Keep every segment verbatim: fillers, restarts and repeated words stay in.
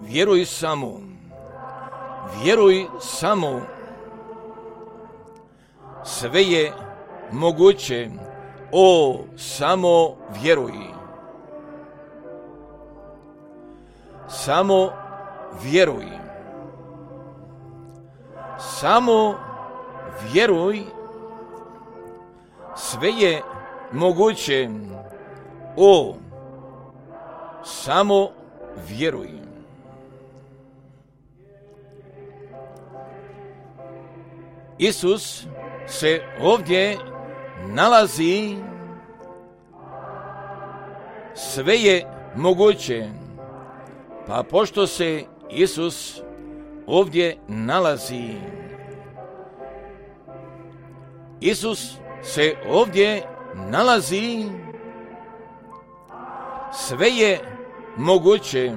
Vjeruj samo, vjeruj samo, sve je moguće, o, samo vjeruj. Samo vjeruj. Samo vjeruj, sve je moguće, o, samo vjeruj. Isus se ovdje nalazi, sve je moguće, pa pošto se Isus ovdje nalazi, Isus se ovdje nalazi, sve je moguće,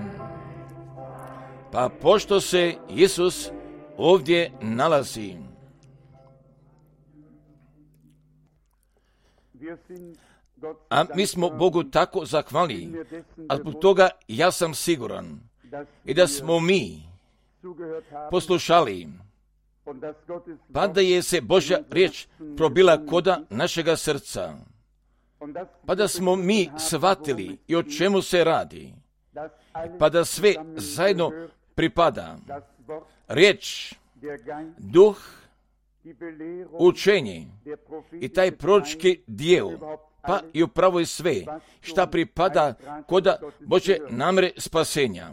pa pošto se Isus ovdje nalazi. A mi smo Bogu tako zahvalni, a zbog toga ja sam siguran i da smo mi poslušali, pa da je se Božja riječ probila koda našega srca, pa da smo mi shvatili i o čemu se radi, pa da sve zajedno pripada. Riječ, duh, učenje i taj proročki dijel, pa i upravo je sve šta pripada koda Božje namjere spasenja.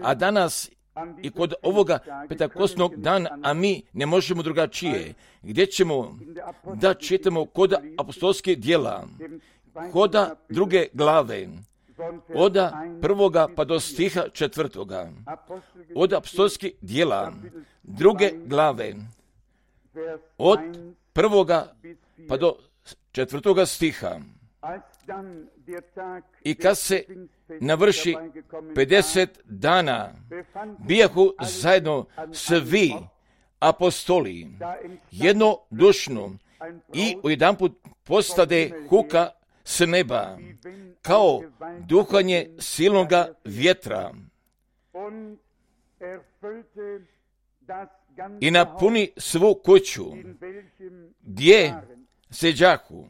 A danas i kod ovoga petakosnog dana, a mi ne možemo drugačije, gdje ćemo da čitamo koda apostolskih djela, koda druge glave, od prvoga pa do stiha četvrtoga, od apostolskih djela druge glave, od prvoga pa do četvrtoga stiha. I kad se navrši pedeset dana, bijahu zajedno svi apostoli jednodušno i ujedanput postade huka s neba, kao duhanje silnoga vjetra, i napuni svu kuću gdje seđahu,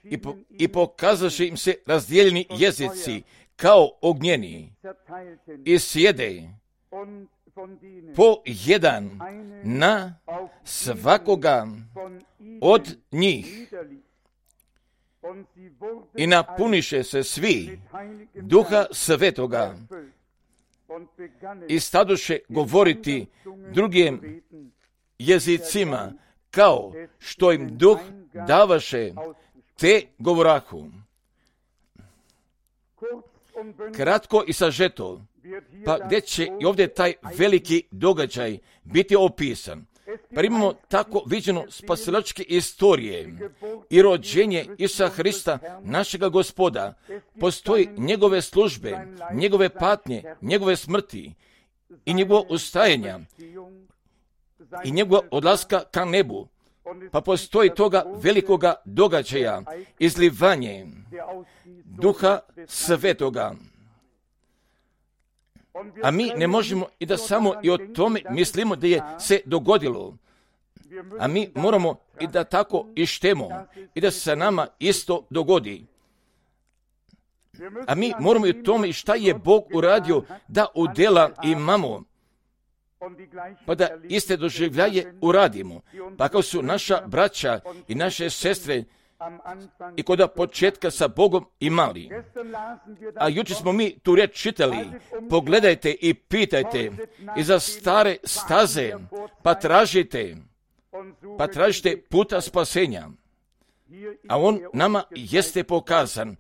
i, po, i pokazaše im se razdijeljeni jezici kao ognjeni, i sjede po jedan na svakoga od njih, i napuniše se svi Duha Svetoga i stadoše govoriti drugim jezicima, kao što im Duh davaše, te govorahu. Kratko i sažeto, pa gdje će i ovdje taj veliki događaj biti opisan? Pa imamo tako viđeno spasilačke istorije i rođenje Isusa Hrista, našega Gospoda. Postoji njegove službe, njegove patnje, njegove smrti i njegovo ustajanja i njegova odlaska ka nebu. Pa postoji toga velikoga događaja, izlivanje Duha Svetoga. A mi ne možemo i da samo i o tome mislimo da je se dogodilo. A mi moramo i da tako ištemo i da se sa nama isto dogodi. A mi moramo i o tome šta je Bog uradio da udjela imamo, pa da iste doživljaje uradimo. Pa kao su naša braća i naše sestre i koda početka sa Bogom imali. A jučer smo mi tu riječ čitali, pogledajte i pitajte i za stare staze, pa tražite, pa tražite puta spasenja. A on nama jeste pokazan.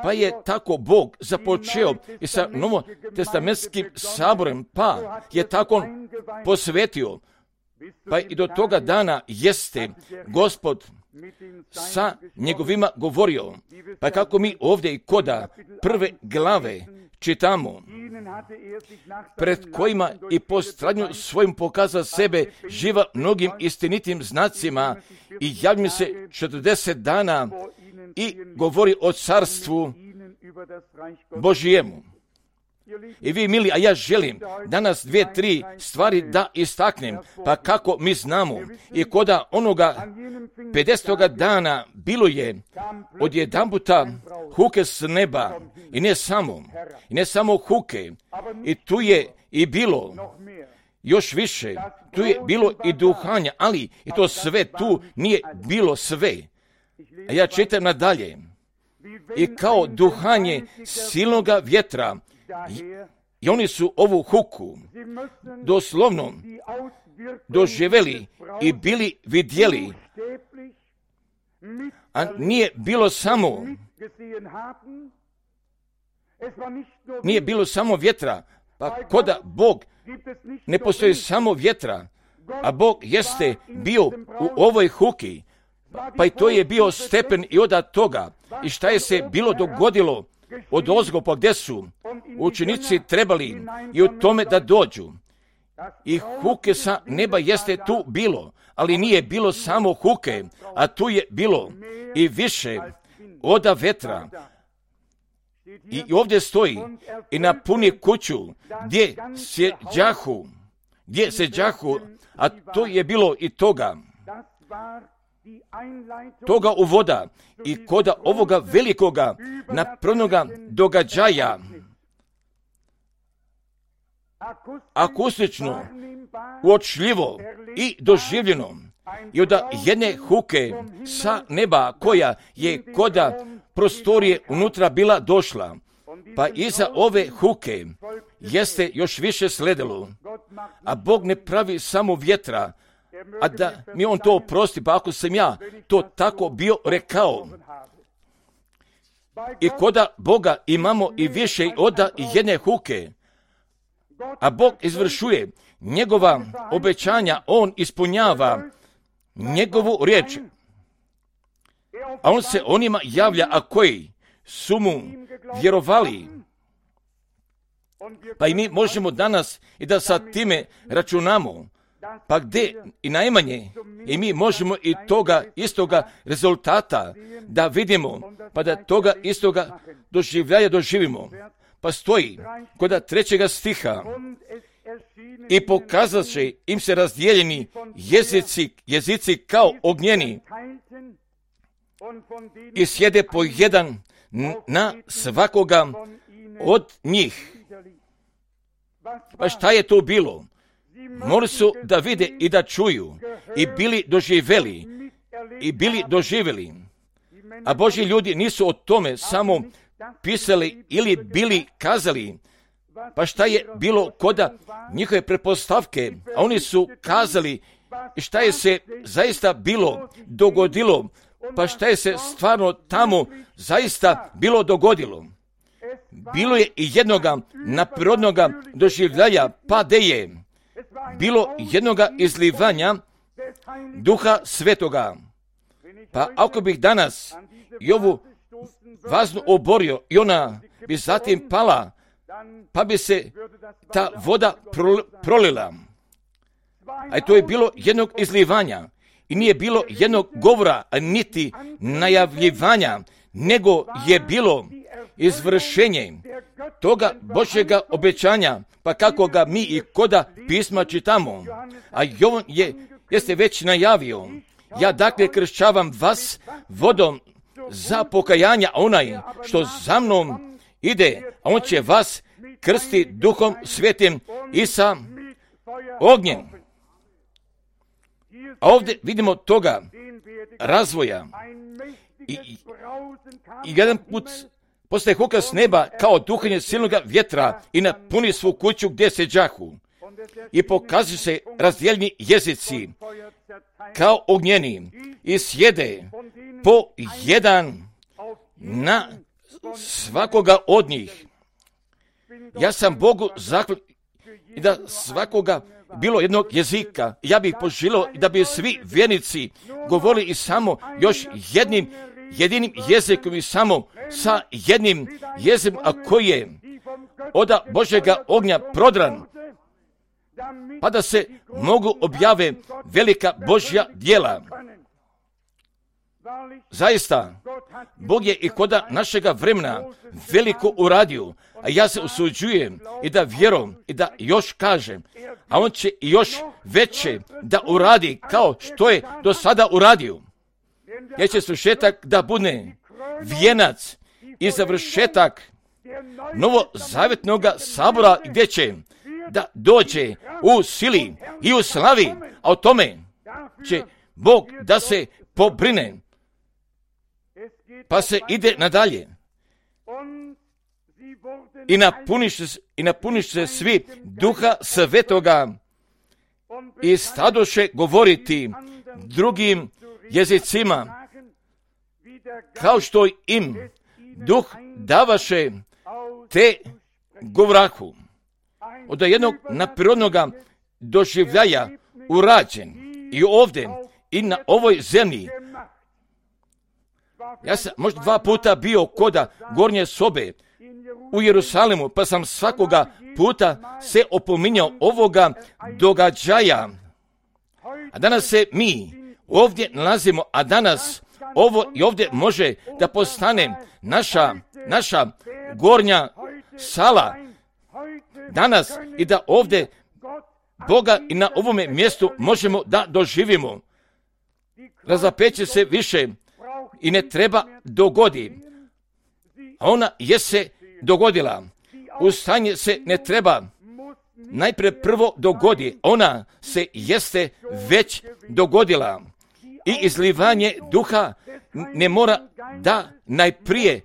Pa je tako Bog započeo i sa novotestamentskim saborem, pa je tako on posvetio. Pa i do toga dana jeste Gospod sa njegovima govorio. Pa kako mi ovdje i koda prve glave čitamo, pred kojima i po stradnju svojim pokaza sebe živa mnogim istinitim znacima i javlja se četrdeset dana i govori o carstvu Božijemu. I vi, mili, a ja želim danas dvije, tri stvari da istaknem, pa kako mi znamo. I koda onoga pedesetoga dana bilo je odjedanputa huke s neba, i ne samo, i ne samo huke, i tu je i bilo još više, tu je bilo i duhanja, ali i to sve tu nije bilo sve. A ja čitam nadalje. I kao duhanje silnoga vjetra, i, i oni su ovu huku doslovno doživjeli i bili vidjeli, a nije bilo samo nije bilo samo vjetra, pa koda Bog ne postoji samo vjetra, a Bog jeste bio u ovoj huki, pa i to je bio stepen i od toga. I šta je se bilo dogodilo od ozgo, pa gdje su učenici trebali i u tome da dođu. I huke sa neba jeste tu bilo, ali nije bilo samo huke, a tu je bilo i više oda vetra. I ovdje stoji i napuni kuću gdje se đahu, gdje se đahu, a to je bilo i toga. Toga uvoda i koda ovoga velikoga napravnoga događaja, akustično, uočljivo i doživljeno, i od jedne huke sa neba koja je koda prostorije unutra bila došla, pa iza ove huke jeste još više sledilo. A Bog ne pravi samo vjetra, a da mi on to oprosti, pa ako sam ja to tako bio rekao. I koda Boga imamo i više od jedne huke, a Bog izvršuje njegova obećanja, on ispunjava njegovu riječ, a on se onima javlja, a koji su mu vjerovali. Pa i mi možemo danas i da sa time računamo, pa gdje i najmanje, i mi možemo i toga istoga rezultata da vidimo, pa da toga istoga doživljaja doživimo. Pa stoji kod trećega stiha: i pokazat će im se razdijeljeni jezici, jezici kao ognjeni, i sjede po jedan na svakoga od njih. Pa šta je to bilo? Morali su da vide i da čuju, i bili doživjeli, i bili doživjeli. A Božji ljudi nisu o tome samo pisali ili bili kazali. Pa šta je bilo koda njihove pretpostavke, a oni su kazali šta je se zaista bilo dogodilo, pa šta je se stvarno tamo zaista bilo dogodilo. Bilo je i jednoga naprirodnoga doživljaja, pa de je bilo jednoga izlivanja Duha Svetoga. Pa ako bih danas i ovu vaznu oborio i ona bi zatim pala, pa bi se ta voda prolila. A to je bilo jednog izlivanja i nije bilo jednog govora, niti najavljivanja, nego je bilo izvršenje toga Božjega obećanja, pa kako ga mi i koda pisma čitamo. A Jovan je, jeste već najavio: ja dakle kršćavam vas vodom za pokajanja, onaj što za mnom ide, a on će vas krsti Duhom Svetim i sa ognjem. A ovdje vidimo toga razvoja. I, i, i jedan put postaje huka s neba kao duhanje silnoga vjetra i napuni svu kuću gdje se đahu. I pokazuju se razdijeljeni jezici kao ognjeni i sjede po jedan na svakoga od njih. Ja sam Bogu zahvalan i da svakoga bilo jednog jezika. Ja bih poželio da bi svi vjernici govorili i samo još jednim jedinim jezikom i samo sa jednim jezikom, a koji je od Božjega ognja prodran, pa da se mogu objave velika Božja djela. Zaista, Bog je i koda našega vremena veliko uradio, a ja se usuđujem i da vjerujem i da još kažem, a on će još veće da uradi kao što je do sada uradio. Jer će svršetak da bude vijenac i završetak novozavjetnog sabora gdje će da dođe u sili i u slavi, a o tome će Bog da se pobrine. Pa se ide nadalje. I napuniš, i napuniš se svi Duha Svetoga i stadoše govoriti drugim jezicima, kao što im Duh davaše, te govorahu. Od jednog naprirodnog doživljaja urađen i ovdje i na ovoj zemlji. Ja sam možda dva puta bio koda gornje sobe u Jerusalimu, pa sam svakoga puta se opominjao ovoga događaja. A danas se mi ovdje nalazimo, a danas ovo i ovdje može da postane naša, naša gornja sala. Danas i da ovdje Boga i na ovome mjestu možemo da doživimo. Razapeće se više i ne treba dogodi. A ona je se dogodila. Ustaње se ne treba najprije prvo dogodi. Ona se jeste već dogodila. I izlivanje duha ne mora da najprije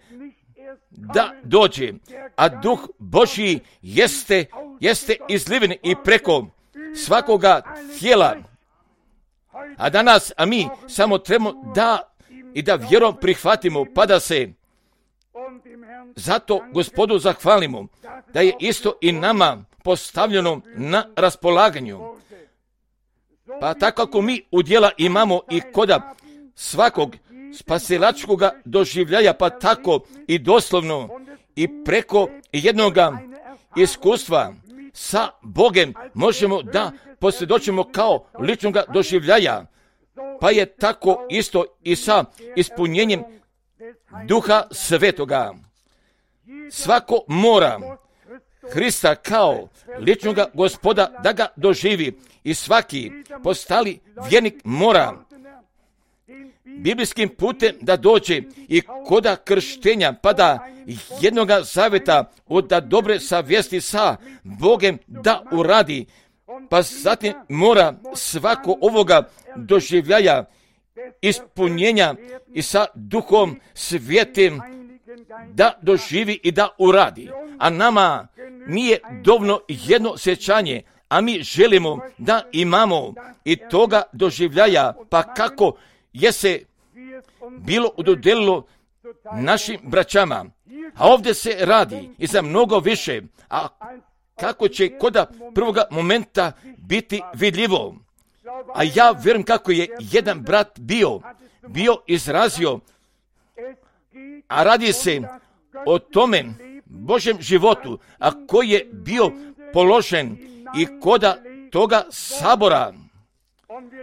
da dođe. A duh Božji jeste, jeste izliven i preko svakoga tijela. A danas, a mi samo trebamo da i da vjerom prihvatimo, pa da se zato Gospodu zahvalimo, da je isto i nama postavljeno na raspolaganju. Pa tako ako mi udjela imamo i koda svakog spasilačkog doživljaja, pa tako i doslovno i preko jednoga iskustva sa Bogem možemo da posvjedočimo kao ličnog doživljaja. Pa je tako isto i sa ispunjenjem Duha Svetoga. Svako mora Hrista kao ličnog Gospoda da ga doživi i svaki postali vjernik mora biblijskim putem da dođe i koda krštenja, pa da jednoga zaveta od da dobre savjesti sa Bogem da uradi, pa zatim mora svako ovoga doživljaja ispunjenja i sa Duhom Svetim da doživi i da uradi. A nama nije dovoljno jedno sjećanje, a mi želimo da imamo i toga doživljaja, pa kako je se bilo udodelilo našim braćama. A ovdje se radi i za mnogo više, a kako će koda prvoga momenta biti vidljivo. A ja vjerujem kako je jedan brat bio, bio izrazio, a radi se o tome Božjem životu, a koji je bio položen i koda toga sabora.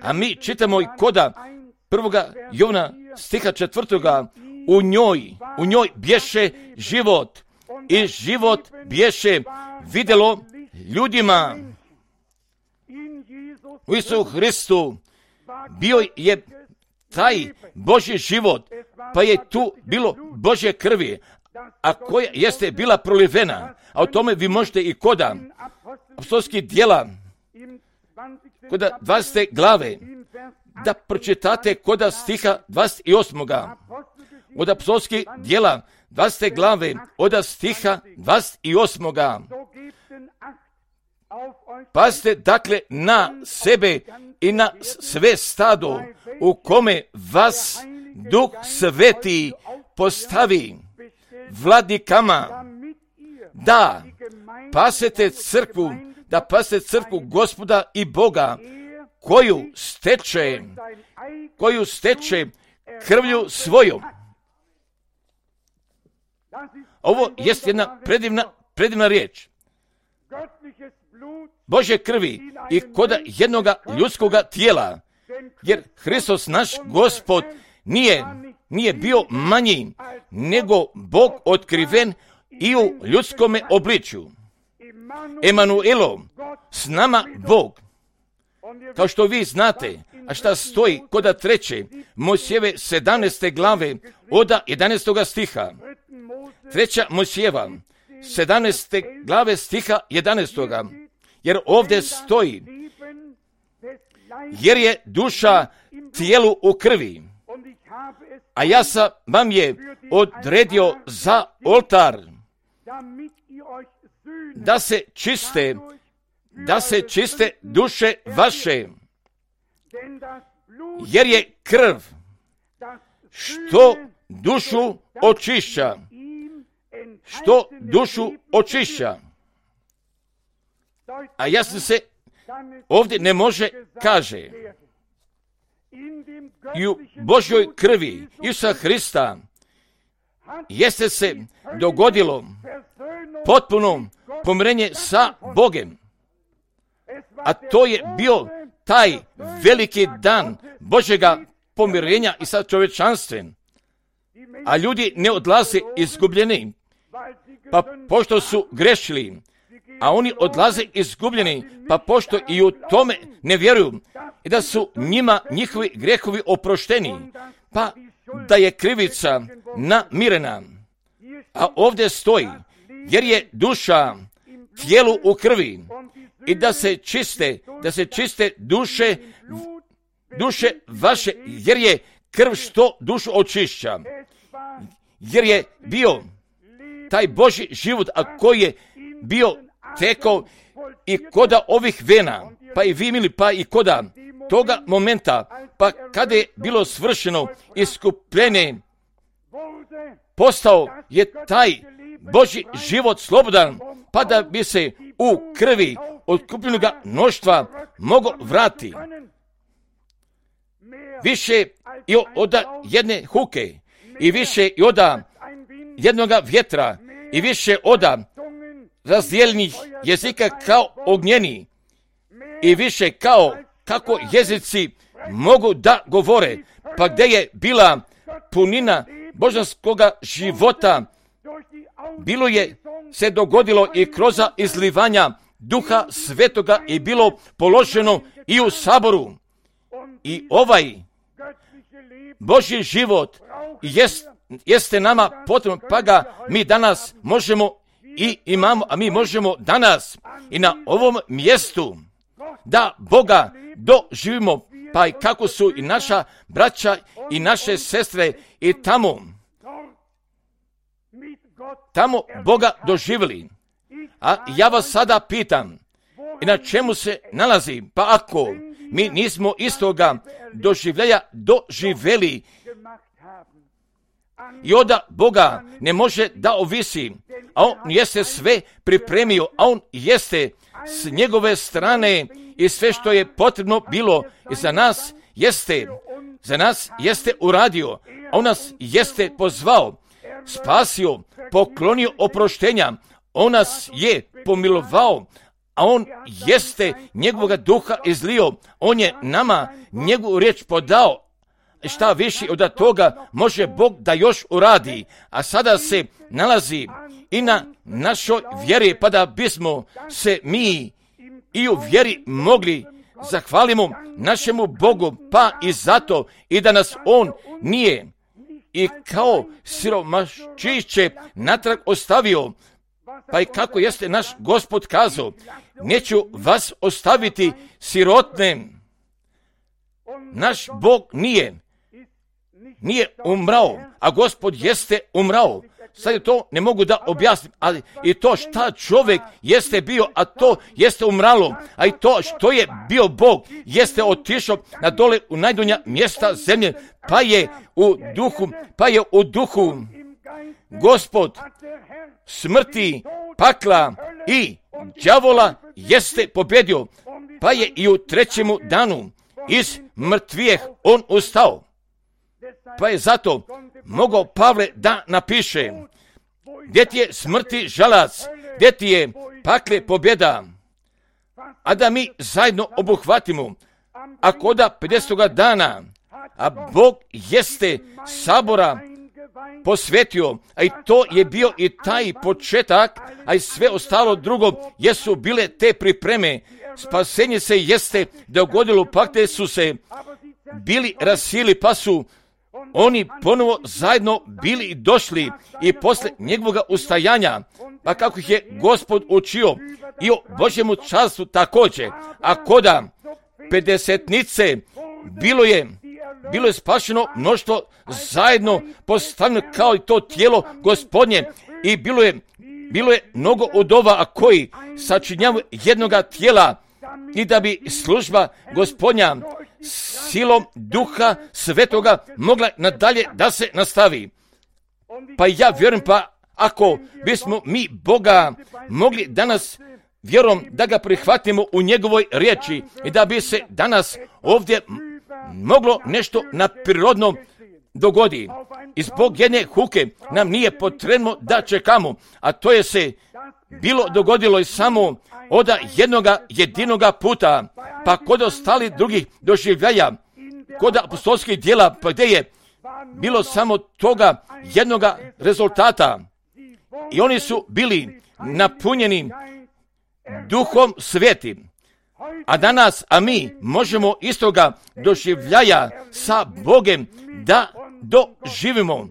A mi čitamo i koda prvoga Jovana stiha četvrtoga, u njoj, u njoj bješe život i život bješe vidjelo ljudima. U Isusu Hristu bio je taj Božji život, pa je tu bilo Božje krvi, a koja jeste bila prolivena. A o tome vi možete i koda apostolskih djela, koda dvadesete glave, da pročitate koda stiha dvadeset osam. Od apostolskih djela dvadesete glave, od stiha dvadeset osam. Pazite dakle na sebe i na sve stado u kome vas Duh Sveti postavi vladikama, da pasete crkvu, da pasete crkvu Gospoda i Boga, koju steče, koju steče krvlju svojom. Ovo jest jedna predivna, predivna riječ. Božje krvi i koda jednoga ljudskoga tijela, jer Hristos naš Gospod nije, nije bio manji nego Bog otkriven i u ljudskome obličju. Emanuelo, s nama Bog. Kao što vi znate, a šta stoji koda treće Mojsijeve sedamnaeste glave od jedanaestoga stiha. Treća Mojsijeva sedamnaeste glave stiha jedanaestoga. Jer ovdje stoji, jer je duša tijelu u krvi. A ja sam vam je odredio za oltar, da se čiste, da se čiste duše vaše, jer je krv što dušu očišća, što dušu očišća. A jasno se ovdje ne može kaže, i u Božjoj krvi Isusa Hrista jeste se dogodilo potpuno pomirenje sa Bogem. A to je bio taj veliki dan Božjega pomirenja i sa čovječanstvom. A ljudi ne odlaze izgubljeni, pa pošto su grešili, a oni odlaze izgubljeni, pa pošto i u tome ne vjeruju, i da su njima njihovi grehovi oprošteni, pa da je krivica namirena. A ovdje stoji, jer je duša tijelu u krvi, i da se čiste, da se čiste duše, duše vaše, jer je krv što dušu očišća. Jer je bio taj Božji život, a koji je bio tekao i koda ovih vena, pa i vi mili, pa i koda toga momenta, pa kada je bilo svršeno iskupljenje, postao je taj Božji život slobodan, pa da bi se u krvi otkupljenoga mnoštva mogo vrati. Više i od jedne huke, i više i od jednoga vjetra, i više od razdijeljenih jezika kao ognjeni, i više kao kako jezici mogu da govore, pa gdje je bila punina božanskoga života, bilo je se dogodilo i kroz izlivanja Duha Svetoga i bilo položeno i u saboru. I ovaj Božji život jest, jeste nama potrebno, pa ga mi danas možemo i imamo, a mi možemo danas i na ovom mjestu da Boga doživimo, pa i kako su i naša braća i naše sestre i tamo, tamo Boga doživjeli. A ja vas sada pitam, i na čemu se nalazi, pa ako mi nismo istoga doživljaja doživjeli, i onda Boga ne može da ovisi, a On jeste sve pripremio, a On jeste s njegove strane i sve što je potrebno bilo i za nas jeste, za nas jeste uradio, a On nas jeste pozvao, spasio, poklonio oproštenja, On nas je pomilovao, a On jeste njegovoga duha izlio, On je nama njegovu riječ podao. Šta više od toga može Bog da još uradi, a sada se nalazi i na našoj vjeri, pa da bismo se mi i u vjeri mogli zahvalimo našemu Bogu, pa i zato i da nas On nije i kao siromaščiće natrag ostavio, pa i kako jeste naš Gospod kazao, neću vas ostaviti sirotne. Naš Bog nije nije umrao, a Gospod jeste umrao. Sad je to ne mogu da objasnim, ali i to šta čovjek jeste bio, a to jeste umralo, a i to što je bio Bog, jeste otišao na dole u najdonja mjesta zemlje, pa je u duhu, pa je u duhu Gospod smrti, pakla i đavola jeste pobjedio, pa je i u trećemu danu iz mrtvijeh on ustao. Pa je zato mogao Pavle da napiše, gdje ti je smrti žalac, gdje ti je pakle pobjeda, a da mi zajedno obuhvatimo, a koda pedesetoga dana a Bog jeste sabora posvetio, a i to je bio i taj početak, a i sve ostalo drugo jesu bile te pripreme. Spasenje se jeste dogodilo, pak te su se bili rasili, pa su oni ponovo zajedno bili i došli i posle njegovog ustajanja, pa kako ih je Gospod učio i o Božjemu carstvu također, a koda pedesetnice bilo je bilo je spašeno mnoštvo zajedno postavljeno kao i to tijelo Gospodnje i bilo je bilo je mnogo udova, a koji sačinjavaju jednoga tijela i da bi služba Gospodnja silom Duha Svetoga mogla nadalje da se nastavi. Pa ja vjerujem, pa ako bismo mi Boga mogli danas vjerom da ga prihvatimo u njegovoj riječi i da bi se danas ovdje moglo nešto na prirodno dogodi. I zbog jedne huke nam nije potrebno da čekamo, a to je se bilo dogodilo i samo od jednoga jedinoga puta, pa kod ostali drugih doživljaja, kod apostolskih djela, pa gdje je bilo samo toga jednoga rezultata. I oni su bili napunjeni Duhom Svetim. A danas, a mi možemo istoga doživljaja sa Bogem da doživimo.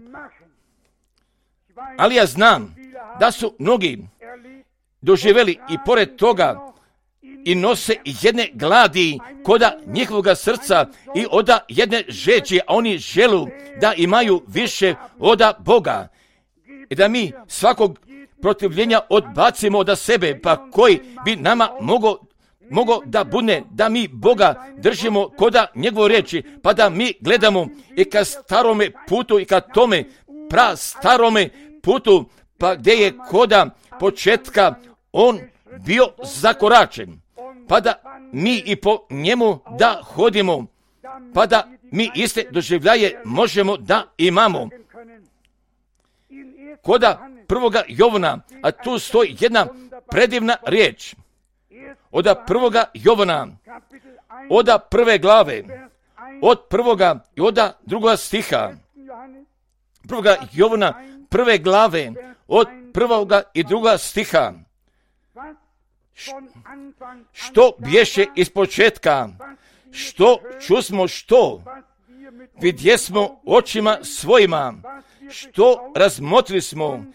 Ali ja znam da su mnogi doživjeli i pored toga i nose jedne gladi koda njihovoga srca i oda jedne žeđe, a oni želu da imaju više oda Boga. I da mi svakog protivljenja odbacimo od sebe, pa koji bi nama mogao mogo da bude da mi Boga držimo koda njegove riječi, pa da mi gledamo i ka starome putu i ka tome pra starome putu, pa gdje je koda početka on bio zakoračen, pa da mi i po njemu da hodimo, pa da mi iste doživljaje možemo da imamo. Koda prvoga Jovana, a tu stoji jedna predivna riječ, od prvoga Jovana, od prve glave, od prvoga i od drugoga stiha, prvoga Jovana, prve glave, od prvoga i drugoga stiha, što bješe iz početka, što čusmo, što vidjesmo očima svojima, što razmotrili smo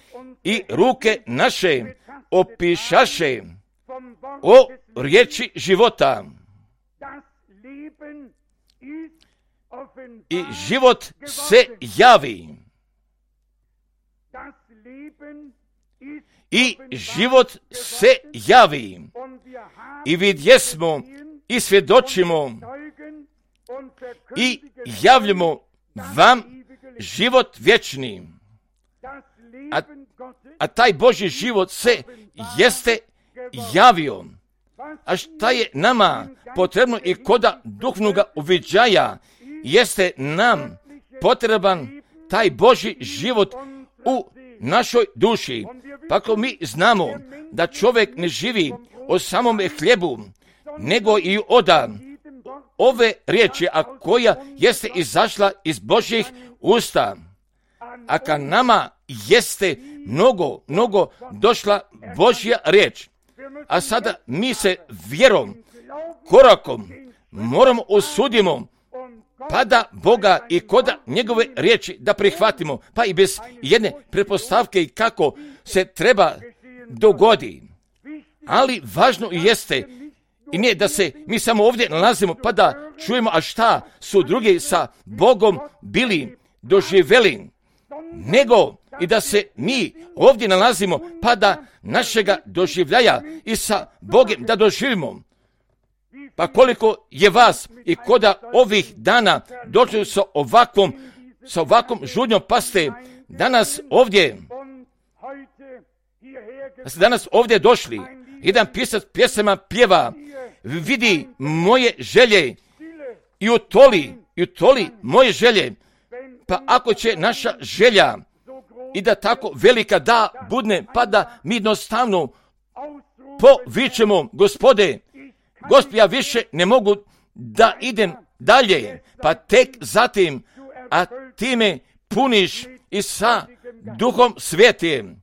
i ruke naše opišaše o riječi života. I život se javi. I život se javi. I vidjesmo i svjedočimo i javljamo vam život vječni. A, a taj Božji život se jeste javio. A šta je nama potrebno i koda duhovnoga uviđaja, jeste nam potreban taj Božji život u našoj duši. Pa ako mi znamo da čovjek ne živi o samome hljebu, nego i oda ove riječi, a koja jeste izašla iz Božjih usta, a ka nama jeste mnogo, mnogo došla Božja riječ. A sada mi se vjerom, korakom moramo osudimo, pa da Boga i koda njegove riječi da prihvatimo, pa i bez jedne pretpostavke i kako se treba dogodi. Ali važno jeste i nije da se mi samo ovdje nalazimo pa da čujemo, a šta su drugi sa Bogom bili doživjeli, nego i da se mi ovdje nalazimo pa da našega doživljaja i sa Bogom da doživimo. Pa koliko je vas i koda ovih dana došli sa ovakvom, sa ovakvom žudnjom, pa ste danas ovdje, da ste danas ovdje došli, jedan pisac pjesama pjeva, vidi moje želje i utoli, i utoli moje želje. Pa ako će naša želja i da tako velika da budne, pa da mi jednostavno povičemo, Gospode, Gospod, ja više ne mogu da idem dalje, pa tek zatim, a time puniš i sa Duhom Svetim.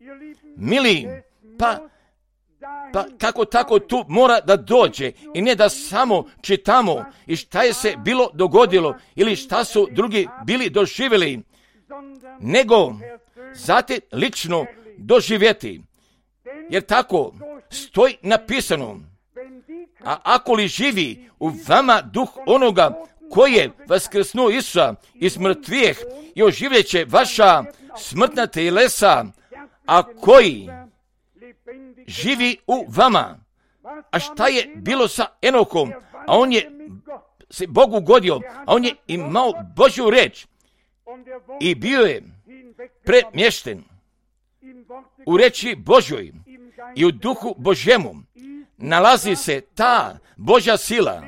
Mili, pa, pa kako tako tu mora da dođe i ne da samo čitamo i šta je se bilo dogodilo ili šta su drugi bili doživjeli, nego zatim lično doživjeti. Jer tako stoji napisano, a ako li živi u vama duh onoga koji je vaskrsnuo Isusa iz mrtvijeh i oživljeće vaša smrtna telesa, a koji živi u vama. A šta je bilo sa Enokom? A on je se Bogu godio, a on je imao Božju reč i bio je premješten u reči Božjoj i u duhu Božjemu. Nalazi se ta Božja sila,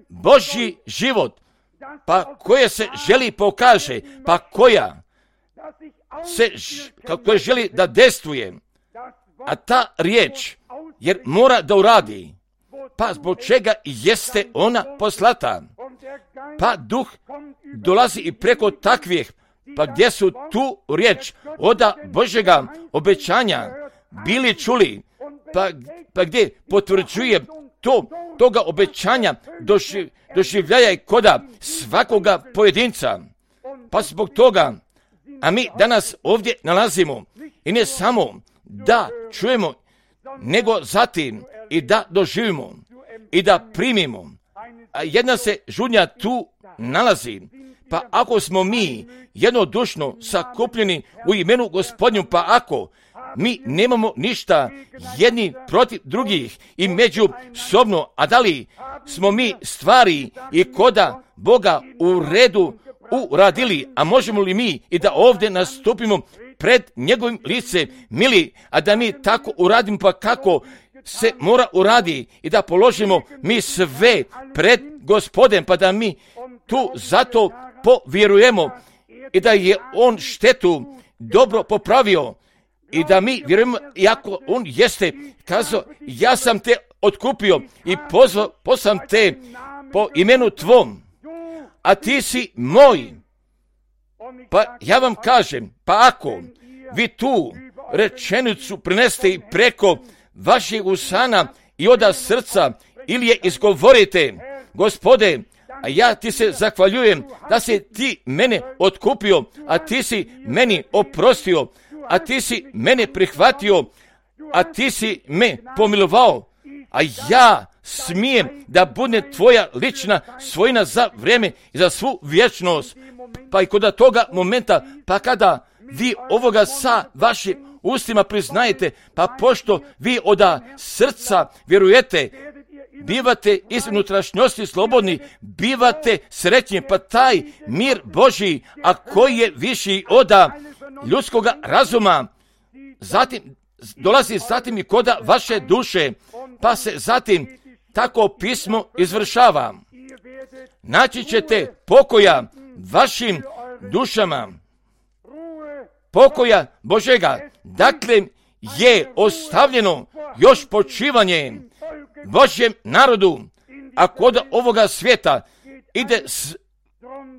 Božji život, pa koja se želi pokaže, pa koja se kako želi da dejstvuje. A ta riječ, jer mora da uradi, pa zbog čega jeste ona poslata. Pa duh dolazi i preko takvih, pa gdje su tu riječ oda Božjega obećanja bili čuli, pa, pa gdje potvrđuje to, toga obećanja doživ, doživljaja i koda svakoga pojedinca. Pa zbog toga, a mi danas ovdje nalazimo i ne samo da čujemo, nego zatim i da doživimo i da primimo. A jedna se žudnja tu nalazi, pa ako smo mi jednodušno sakupljeni u imenu Gospodnju, pa ako mi nemamo ništa jedni protiv drugih i međusobno, a da li smo mi stvari i koda Boga u redu uradili, a možemo li mi i da ovdje nastupimo pred njegovim licem, mili, a da mi tako uradimo, pa kako se mora uradi i da položimo mi sve pred Gospodem, pa da mi tu zato povjerujemo i da je on štetu dobro popravio i da mi vjerujemo, iako on jeste kazao, ja sam te otkupio i pozvao, poslam te po imenu tvom, a ti si moj. Pa ja vam kažem, pa ako vi tu rečenicu prineste i preko vaših usana i oda srca ili je izgovorite, Gospode, a ja ti se zahvaljujem da si ti mene otkupio, a ti si meni oprostio, a ti si mene prihvatio, a ti si me pomilovao, a ja smijem da bude tvoja lična svojina za vrijeme i za svu vječnost. Pa i kod toga momenta, pa kada vi ovoga sa vašim ustima priznajete, pa pošto vi oda srca vjerujete, bivate iz unutrašnjosti slobodni, bivate sretni, pa taj mir Božji, a koji je viši oda ljudskoga razuma, zatim dolazi zatim i koda vaše duše, pa se zatim tako pismo izvršava. Naći ćete pokoja vašim dušama, pokoja Božega, dakle je ostavljeno još počivanje Božjem narodu, a kod ovoga svijeta ide, s,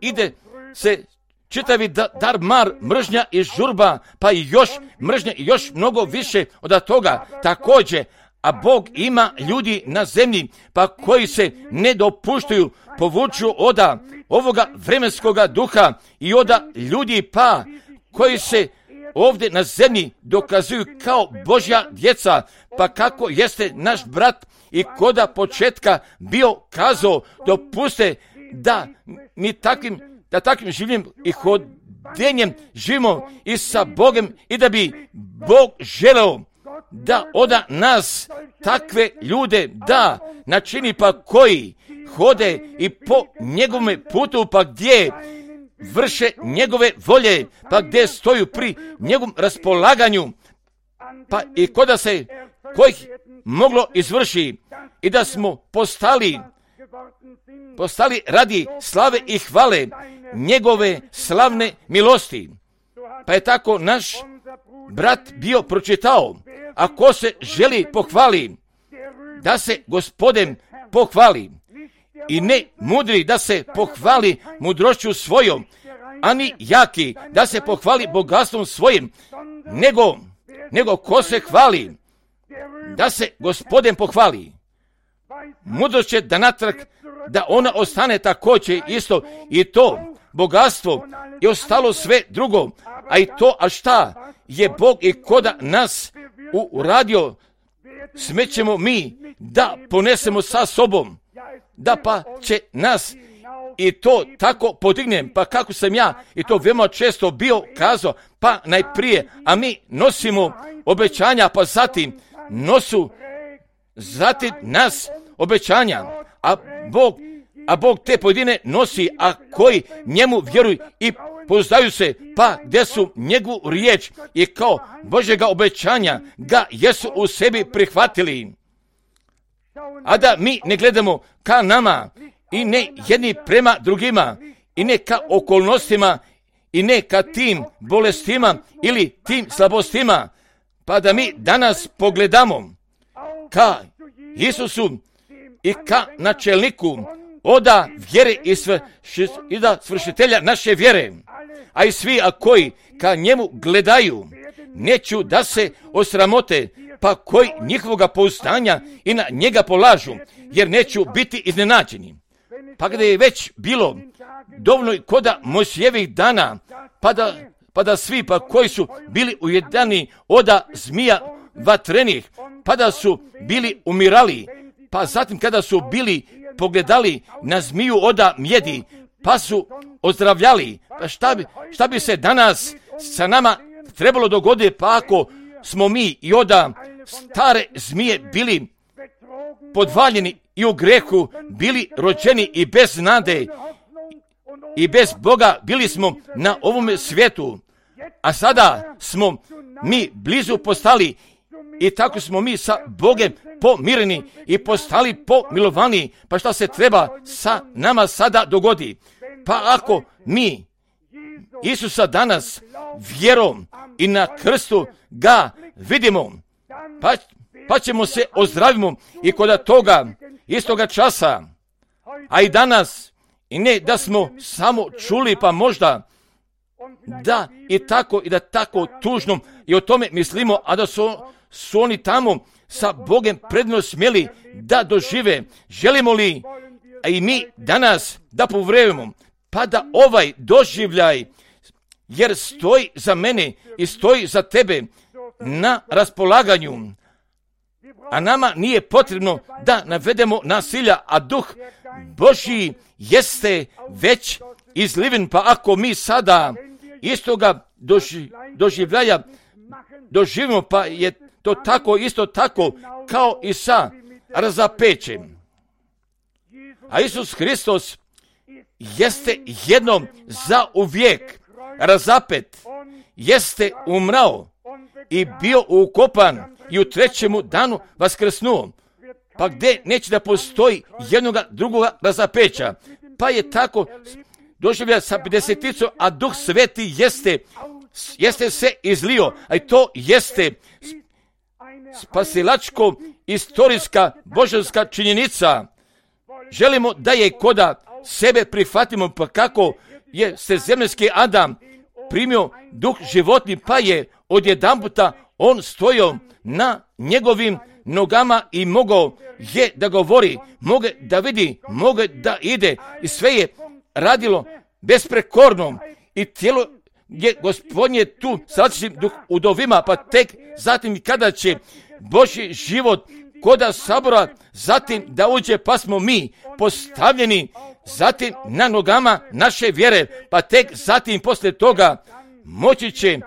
ide se čitavi dar mar, mržnja i žurba, pa i još mržnja i još mnogo više od toga također, a Bog ima ljudi na zemlji, pa koji se ne dopuštaju, povuču oda ovoga vremenskoga duha i oda ljudi, pa koji se ovdje na zemlji dokazuju kao Božja djeca, pa kako jeste naš brat i koda početka bio kazao, dopuste da mi takvim, da takvim življenjem i hodenjem živimo i sa Bogom i da bi Bog želeo da oda nas takve ljude da načini, pa koji hode i po njegovome putu, pa gdje vrše njegove volje, pa gdje stoju pri njegovom raspolaganju, pa i koda se kojih moglo izvrši i da smo postali postali radi slave i hvale njegove slavne milosti. Pa je tako naš brat bio pročitao, a ko se želi pohvali, da se Gospodin pohvali i ne mudri da se pohvali mudrošću svojom, ani jaki da se pohvali bogatstvom svojim, nego, nego ko se hvali, da se Gospodin pohvali. Mudrost će da natrag, da ona ostane također isto i to bogatstvo i ostalo sve drugo, a i to, a šta je Bog i koda nas uradio, smećemo mi da ponesemo sa sobom, da pa će nas i to tako podignem, pa kako sam ja i to veoma često bio kazao, pa najprije, a mi nosimo obećanja, pa zatim nosu, zatim nas obećanja, a Bog, a Bog te pojedine nosi, a koji njemu vjeruju i pouzdaju se, pa gdje su njegovu riječ i kao Božjega obećanja ga jesu u sebi prihvatili. A da mi ne gledamo ka nama i ne jedni prema drugima i ne ka okolnostima i ne ka tim bolestima ili tim slabostima, pa da mi danas pogledamo ka Isusu i ka načelniku oda vjere i, sve, i da svršitelja naše vjere, a i svi a koji ka njemu gledaju neću da se osramote, pa koji njihovoga pouzdanja i na njega polažu, jer neću biti iznenađeni. Pa gdje je već bilo dovoljno koda Mojsijevih dana, pa da, pa da svi pa koji su bili ujedani oda zmija vatrenih, pa da su bili umirali, pa zatim kada su bili pogledali na zmiju oda mjedi, pa su ozdravljali. Pa šta bi, šta bi se danas sa nama trebalo dogoditi, pa ako smo mi i oda stare zmije bili podvaljeni i u grehu, bili rođeni i bez nade i bez Boga, bili smo na ovome svijetu, a sada smo mi blizu postali i tako smo mi sa Bogem pomireni i postali pomilovani. Pa šta se treba sa nama sada dogodi? Pa ako mi Isusa danas vjerom i na krstu ga vidimo, pa, pa ćemo se ozdravimo i kod toga istoga časa, a i danas, i ne da smo samo čuli, pa možda da i tako i da tako tužno i o tome mislimo, a da su, su oni tamo sa Bogem predno smjeli da dožive. Želimo li, a i mi danas da povrevimo, pa da ovaj doživljaj, jer stoji za mene i stoji za tebe na raspolaganju, a nama nije potrebno da navedemo nasilja, a duh Božji jeste već izliven, pa ako mi sada istoga doži, doživljaja doživimo, pa je to tako isto tako kao i sa razapećem. A Isus Hristos jeste jednom za uvijek razapet, jeste umrao i bio ukopan i u trećemu danu vaskrsnuo. Pa gdje neće da postoji jednoga drugoga razapeća, pa je tako doživlja sa pedeseticom, a Duh Sveti jeste, jeste se izlio, a i to jeste spasilačko istorijska božanska činjenica. Želimo da je koda sebe prihvatimo, pa kako je sredozemljanski Adam primio duh životni, pa je odjedanputa on stojao na njegovim nogama i mogao je da govori, moge da vidi, moge da ide i sve je radilo besprekorno i tijelo je Gospodnje tu sa različitim duh udovima, pa tek zatim kada će Božji život koda sabora zatim da uđe, pa smo mi postavljeni zatim na nogama naše vjere, pa tek zatim poslije toga moći će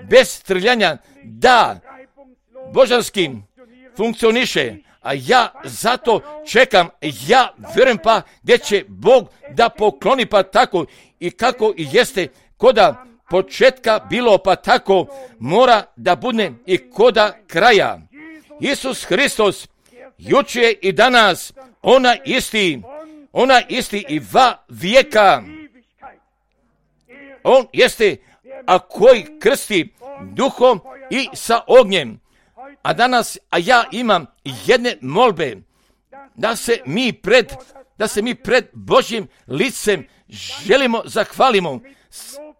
bez trljanja da božanski funkcioniše. A ja zato čekam, ja vjerujem pa gdje će Bog da pokloni, pa tako i kako i jeste koda početka bilo, pa tako mora da bude i koda kraja. Isus Hristos juče i danas ona isti, ona isti i va vijeka. On jeste, a koji krsti duhom i sa ognjem. A danas, a ja imam jedne molbe, da se mi pred da se mi pred Božjim licem želimo zahvalimo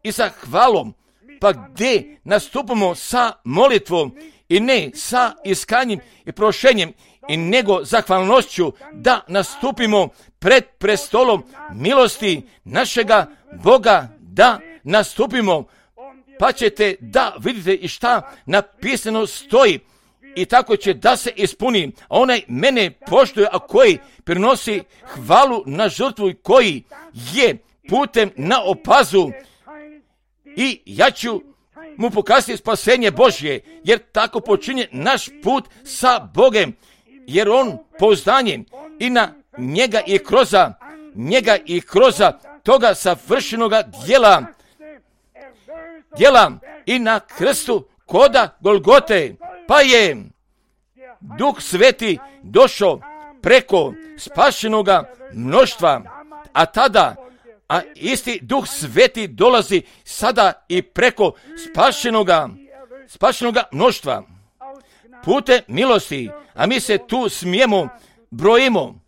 i sa hvalom, pa gdje nastupamo sa molitvom i ne sa iskanjem i prošenjem, i nego zahvalnošću da nastupimo pred prestolom milosti našega Boga, da nastupimo, pa ćete da vidite i šta napisano stoji, i tako će da se ispuni. A onaj mene poštuje, a koji prinosi hvalu na žrtvu i koji je putem na opazu, i ja ću mu pokazati spasenje Božje, jer tako počinje naš put sa Bogem, jer on pouzdanjem i na njega i kroza njega i kroza toga savršenoga djela, djela i na krstu koda Golgote, pa je Duh Sveti došao preko spašenoga mnoštva, a tada, a isti Duh Sveti dolazi sada i preko spašenoga, spašenoga mnoštva, putem milosti, a mi se tu smijemo, brojimo.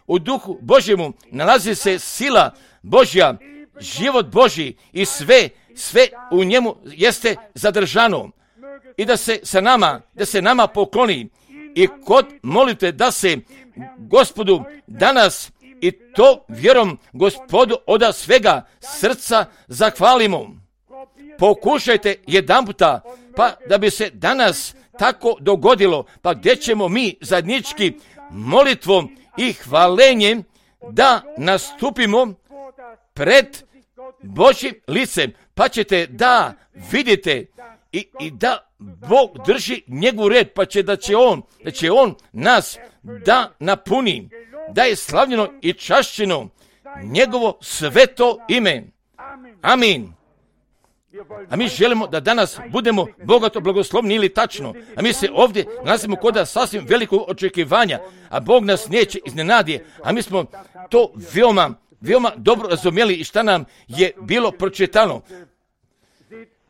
U Duhu Božjemu nalazi se sila Božja, život Božji i sve, sve u njemu jeste zadržano. I da se sa nama, da se nama pokloni i kod molite da se Gospodu danas i to vjerom Gospodu od svega srca zahvalimo. Pokušajte jedanputa, pa da bi se danas tako dogodilo, pa gdje ćemo mi zajednički molitvom i hvalenjem da nastupimo pred Božjim licem, pa ćete da vidite i, i da Bog drži njegov red, pa će da će on, da će on nas da napuni, da je slavljeno i čašćeno njegovo sveto ime. Amin. A mi želimo da danas budemo bogato blagoslovni, ili tačno. A mi se ovdje nalazimo kod sasvim velikog očekivanja, a Bog nas neće iznenadi. A mi smo to veoma, veoma dobro razumjeli i šta nam je bilo pročitano.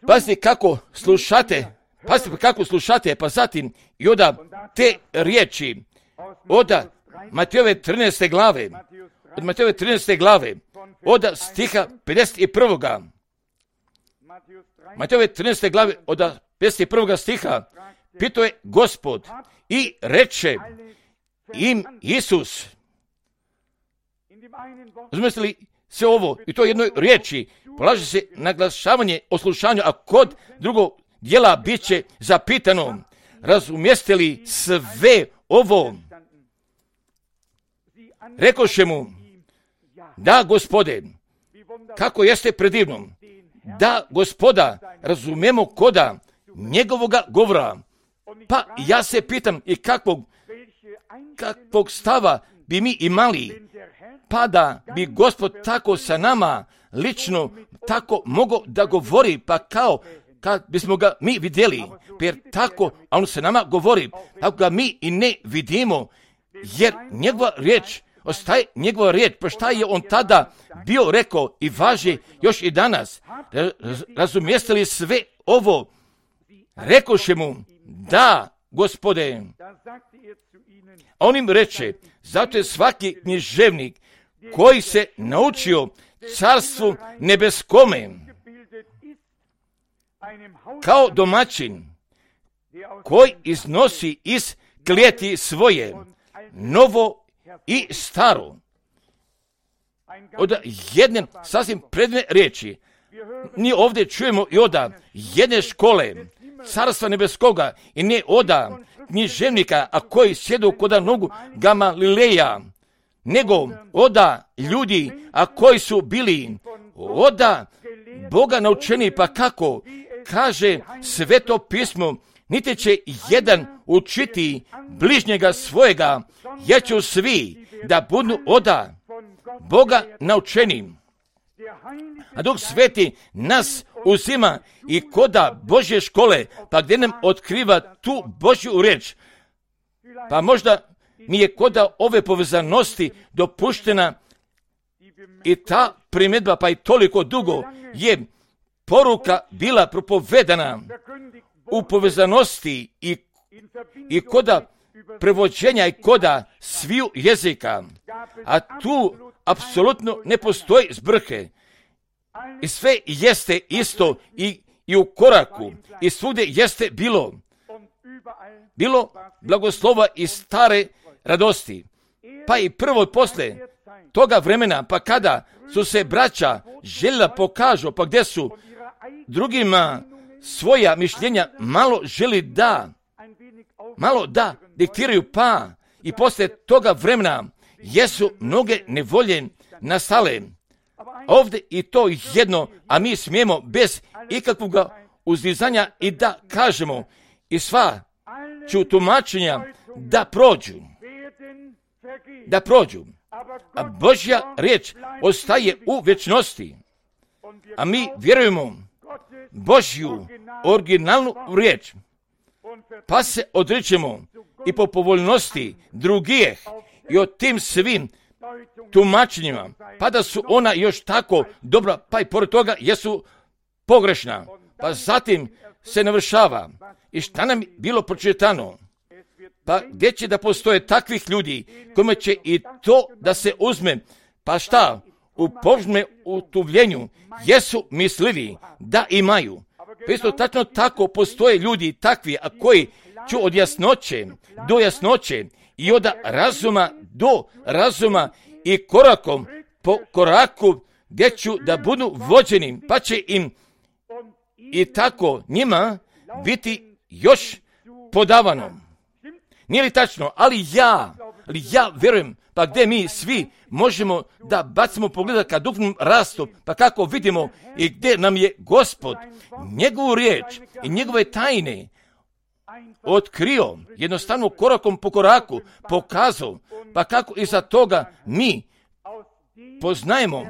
Pazite kako slušate, pazite kako slušate, pa zatim i od te riječi, od Matejove trinaeste glave, od Matejove trinaeste glave, od stiha pedeset prvoga. Matejove trinaeste glave od pedeset prvoga stiha, pitao je Gospod i reče im Isus. Razumijete li se ovo? I to jednoj riječi polaže se naglašavanje o slušanju, a kod drugog dijela bit će zapitano, razumijeste li sve ovo? Rekoše mu, da Gospode, kako jeste predivno, da Gospoda razumemo koda njegovoga govora. Pa ja se pitam i kakvog, kakvog stava bi mi imali, pa da bi Gospod tako sa nama lično tako mogao da govori, pa kao kad bismo ga mi vidjeli, jer tako, a on sa nama govori, ako ga mi i ne vidimo, jer njegova riječ ostaje njegova riječ, pa šta je on tada bio rekao i važi još i danas. Razumijeste li sve ovo? Rekoše mu, da, Gospode. A on im reče, zato je svaki književnik koji se naučio carstvu nebeskome, kao domaćin koji iznosi iz klijeti svoje novo i staro. Od jedne sasvim predivne riječi, mi ovdje čujemo i od jedne škole carstva nebeskoga i ne od književnika, a koji sjedu kod nogu Gamalileja, nego od ljudi, a koji su bili od Boga naučeni, pa kako kaže Sveto pismo, niti će jedan učiti bližnjega svojega, jer će svi da budu od Boga naučeni. A Duh Sveti nas uzima i koda Božje škole, pa gdje nam otkriva tu Božju riječ. Pa možda mi je koda ove povezanosti dopuštena i ta primjedba, pa i toliko dugo je poruka bila propovedana u povezanosti i, i koda prevođenja i koda sviju jezika, a tu apsolutno ne postoji zbrke. I sve jeste isto i, i u koraku, i svugdje jeste bilo. Bilo blagoslova i stare radosti. Pa i prvo posle toga vremena, pa kada su se braća željela pokažu, pa gdje su drugima svoja mišljenja malo želi da, malo da diktiraju, pa i posle toga vremena jesu mnoge nevolje nastale. Ovdje i to jedno, a mi smijemo bez ikakvog uzdizanja i da kažemo i sva ću tumačenja da prođu. Da prođu. A Božja riječ ostaje u vječnosti. A mi vjerujemo Božju originalnu riječ. Pa se odričemo i po povoljnosti drugih i o tim svim tumačenjima, pa da su ona još tako dobra, pa i pored toga jesu pogrešna. Pa zatim se navršava. I šta nam bilo pročitano? Pa gdje će da postoje takvih ljudi kojima će i to da se uzme? Pa šta? U Božjem utuvljenju jesu mislili da imaju. Pa isto tačno tako postoje ljudi takvi, a koji ću od jasnoće do jasnoće i od razuma do razuma i korakom po koraku gdje ću da budu vođeni, pa će im i tako njima biti još podavano. Nije li tačno? Ali ja, ali ja vjerujem, pa gdje mi svi možemo da bacimo pogleda ka duhovnom rastu, pa kako vidimo i gdje nam je Gospod njegovu riječ i njegove tajne otkrio, jednostavno korakom po koraku pokazao, pa kako iza toga mi poznajemo,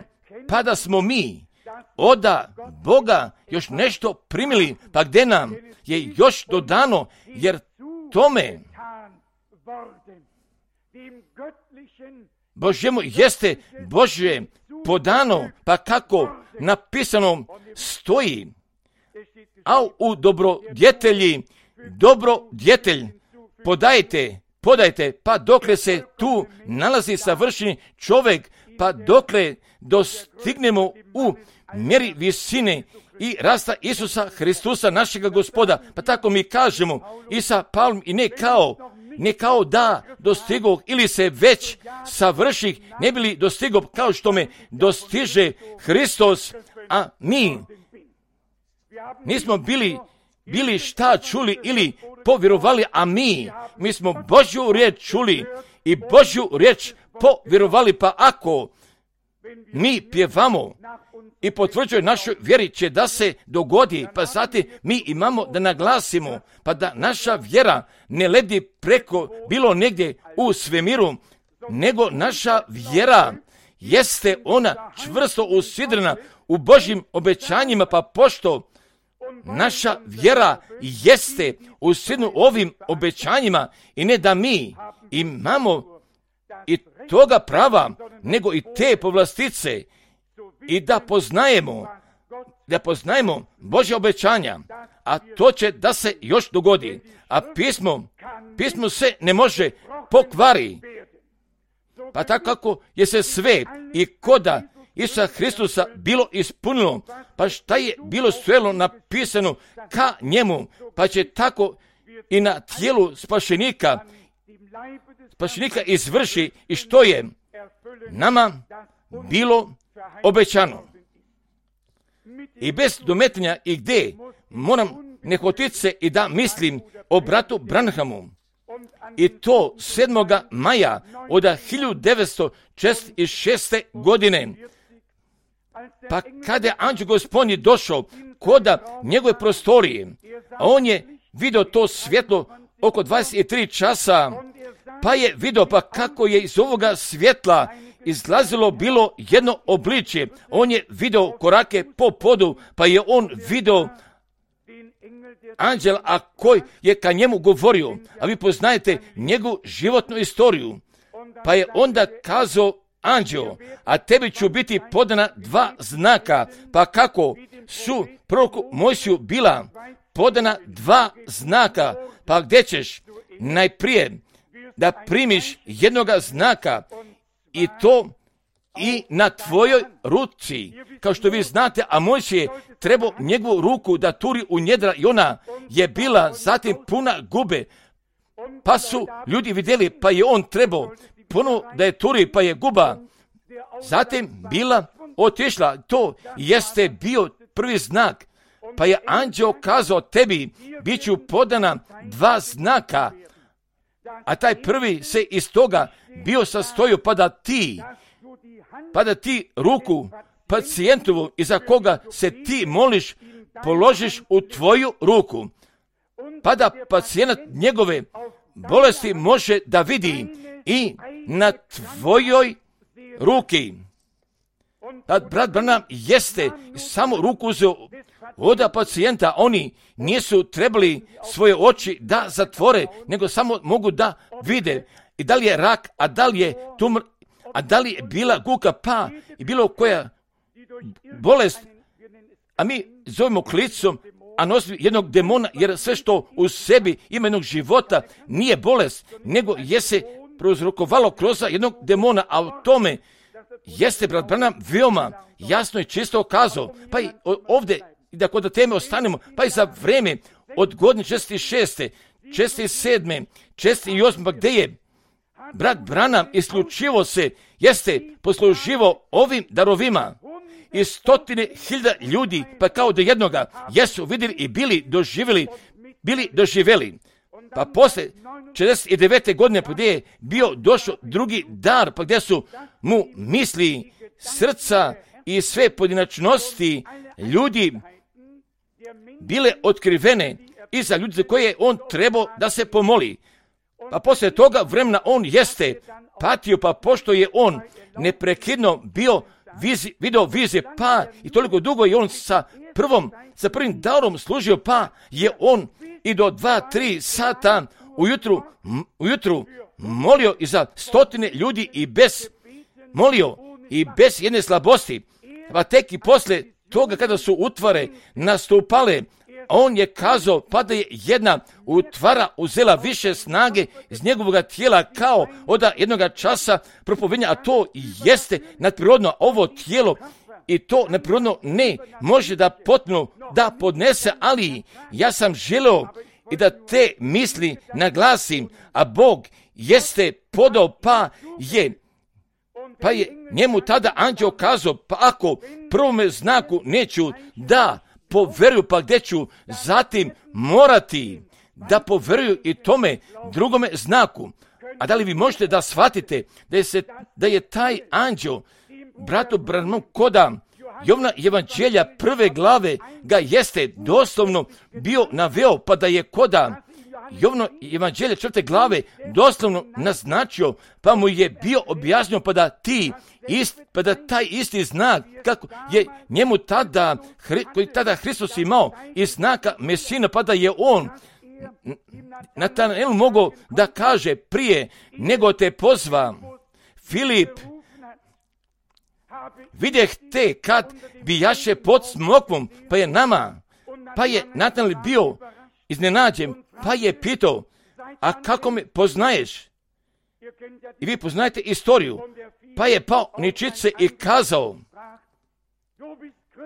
pa da smo mi oda Boga još nešto primili, pa gdje nam je još dodano, jer tome Božjemu jeste Božje podano, pa kako napisano stoji, a u dobrodjetelji, dobrodjetelj podajte, podajte, pa dokle se tu nalazi savršeni čovjek, pa dokle dostignemo u mjeri visine i rasta Isusa Hristusa, našega Gospoda, pa tako mi kažemo i sa Pavlom i ne kao, ne kao da dostigao ili se već savrših, ne bili dostigao kao što me dostiže Hristos, a mi nismo bili, bili šta čuli ili povjerovali, a mi, mi smo Božju riječ čuli i Božju riječ povjerovali, pa ako mi pjevamo i potvrđuje našoj vjeri će da se dogodi, pa zatim mi imamo da naglasimo, pa da naša vjera ne ledi preko bilo negdje u svemiru, nego naša vjera jeste ona čvrsto usidrena u Božjim obećanjima, pa pošto naša vjera jeste usidrena ovim obećanjima i ne da mi imamo i toga prava, nego i te povlastice i da poznajemo, da poznajemo Božja obećanja, a to će da se još dogodi, a pismo, pismo se ne može pokvari, pa tako kako je se sve i koda Isusa Hristusa bilo ispunilo, pa šta je bilo svelo napisano ka njemu, pa će tako i na tijelu spašenika, spašenika izvrši i što je nama bilo obećano. I bez dometanja i gdje moram nehotit se i da mislim o bratu Branhamu. I to sedmoga maja od hiljadu devetsto četrdeset šeste. godine. Pa kada je anđeo Gospodnji došao koda njegove prostorije, a on je vidio to svjetlo oko dvadeset tri časa, pa je vidio pa kako je iz ovoga svjetla izlazilo bilo jedno obličje. On je vidio korake po podu, pa je on vidio anđela, a koji je ka njemu govorio. A vi poznajete njegovu životnu istoriju. Pa je onda kazao anđeo, a tebi ću biti podana dva znaka. Pa kako su proroku Mojsiju bila podana dva znaka, pa gdje ćeš najprije da primiš jednoga znaka i to i na tvojoj ruci. Kao što vi znate, a Mojsije je trebao njegovu ruku da turi u njedra i ona je bila zatim puna gube. Pa su ljudi vidjeli, pa je on trebao puno da je turi, pa je guba zatim bila otišla. To jeste bio prvi znak. Pa je anđeo kazao tebi, bit ću podana dva znaka, a taj prvi se iz toga bio sastojio pa da ti, pa da ti ruku pacijentovu iza koga se ti moliš, položiš u tvoju ruku, pa da pacijent njegove bolesti može da vidi i na tvojoj ruki. Tad brat Branham jeste samo ruku uzeo od pacijenta, oni nisu trebali svoje oči da zatvore, nego samo mogu da vide i da li je rak, a da li je tumor, a da li je bila guka, pa i bilo koja bolest, a mi zovemo klicom, a nosi jednog demona, jer sve što u sebi ima jednog života nije bolest, nego je se prouzrokovalo kroz jednog demona, a u tome jeste brat Branham veoma jasno i čisto kazao. Pa i ovdje, da kod teme ostanemo, pa i za vreme od godine šezdeset šeste, šezdeset sedme, šezdeset osme, pa gdje je brat Branham isključivo se jeste posluživao ovim darovima i stotine hiljada ljudi, pa kao do jednoga, jesu vidjeli i bili doživjeli, bili doživjeli. Pa posle četrdeset devete godine, pa gdje je bio došao drugi dar, pa gdje su mu misli, srca i sve pojedinačnosti ljudi bile otkrivene i za ljudi za koje je on trebao da se pomoli. Pa poslije toga vremena on jeste patio, pa pošto je on neprekidno bio vizi, video vizije, pa i toliko dugo je on sa prvom, sa prvim darom služio, pa je on i do dva, tri sata ujutru, ujutru molio i za stotine ljudi i bez, molio i bez jedne slabosti. Pa tek i poslije toga kada su utvare nastupale, on je kazao pa da je jedna utvara uzela više snage iz njegovog tijela kao od jednog časa propovednja, a to jeste nadprirodno ovo tijelo i to nadprirodno ne može da potpuno da podnese, ali ja sam želeo i da te misli naglasim, a Bog jeste podao pa je pa je njemu tada anđeo kazao, pa ako prvome znaku neću da poveruju, pa gdje ću zatim morati da poveruju i tome drugome znaku. A da li vi možete da shvatite da je, se, da je taj anđeo bratu Branhamu koda Jovna evanđelja prve glave ga jeste doslovno bio naveo, pa da je koda Jovno evanđelje četvrte glave doslovno naznačio, pa mu je bio objasnio, pa da ti ist, pa da taj isti znak kako je njemu tada, koji tada Hristos imao i znaka Mesina, pa da je on Natanael mogao da kaže prije nego te pozva Filip, vidjeh te kad bijaše pod smokvom, pa je nama, pa je Natanael bio iznenađen, pa je pitao, a kako me poznaješ? I vi poznajete istoriju. Pa je pao ničice i kazao,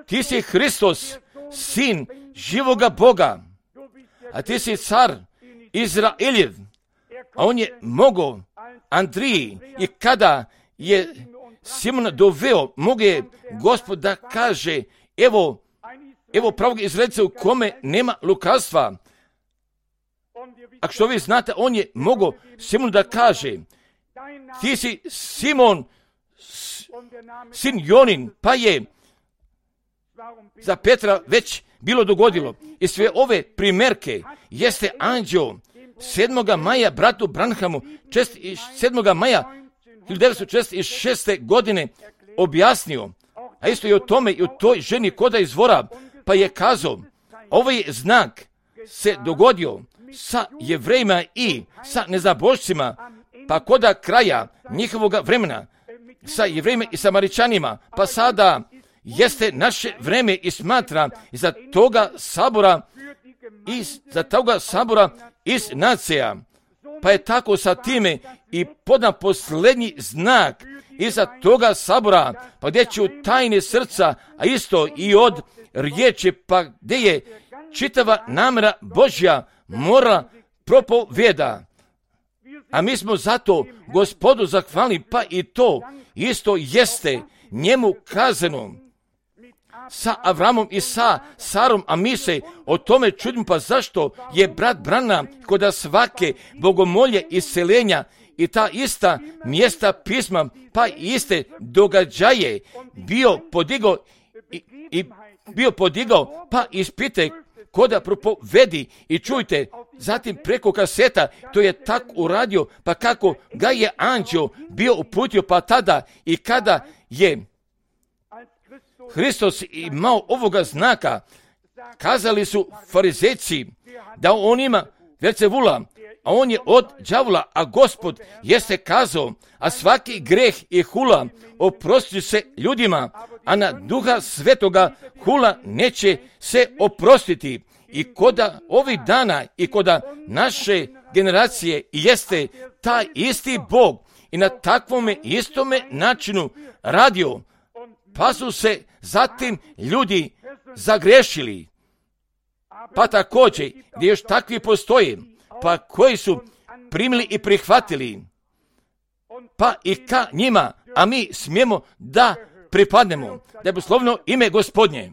ti si Hristos, sin živoga Boga, a ti si car Izraeljev. A on je mogao Andriji i kada je Simona doveo, mogu je Gospod da kaže, evo, evo pravog Izraelca u kome nema lukavstva. A što vi znate, on je mogao Simonu da kaže, ti si Simon, sin Jonin, pa je za Petra već bilo dogodilo. I sve ove primjerke jeste anđeo sedmoga maja bratu Branhamu sedmoga maja hiljadu devetsto četrdeset šeste. godine objasnio, a isto i o tome i o toj ženi koda izvora, pa je kazao, ovaj znak se dogodio sa Jevrejima i sa nezabožcima, pa koda kraja njihovog vremena, sa Jevrejima i Samaričanima, pa sada jeste naše vreme i smatra za toga sabora, iz, za toga sabora iz nacija, Pa je tako sa time i podan posljednji znak iza toga sabora, pa gdje će u tajne srca, a isto i od riječi, pa gdje je čitava namjera Božja mora propovjeda. A mi smo zato Gospodu zahvalni, pa i to isto jeste njemu kazano sa Avramom i sa Sarom, a mi se o tome čudimo, pa zašto je brat Branham kod svake bogomolje isceljenja i ta ista mjesta pisma, pa iste događaje bio podigao i, i bio podigao, pa ispite koda propovedi i čujte, zatim preko kaseta, to je tak uradio, pa kako ga je anđeo bio uputio, pa tada i kada je Hristos imao ovoga znaka, kazali su farizejci da on ima Velzevula, a on je od đavola, a Gospod jeste kazao, a svaki greh i hula oprosti se ljudima, a na Duha Svetoga hula neće se oprostiti. I koda ovih dana i koda naše generacije jeste taj isti Bog i na takvome istome načinu radio, pa su se zatim ljudi zagrešili. Pa također, gdje još takvi postoje, pa koji su primili i prihvatili, pa i ka njima, a mi smijemo da pripadnemo, da je poslovno ime Gospodnje.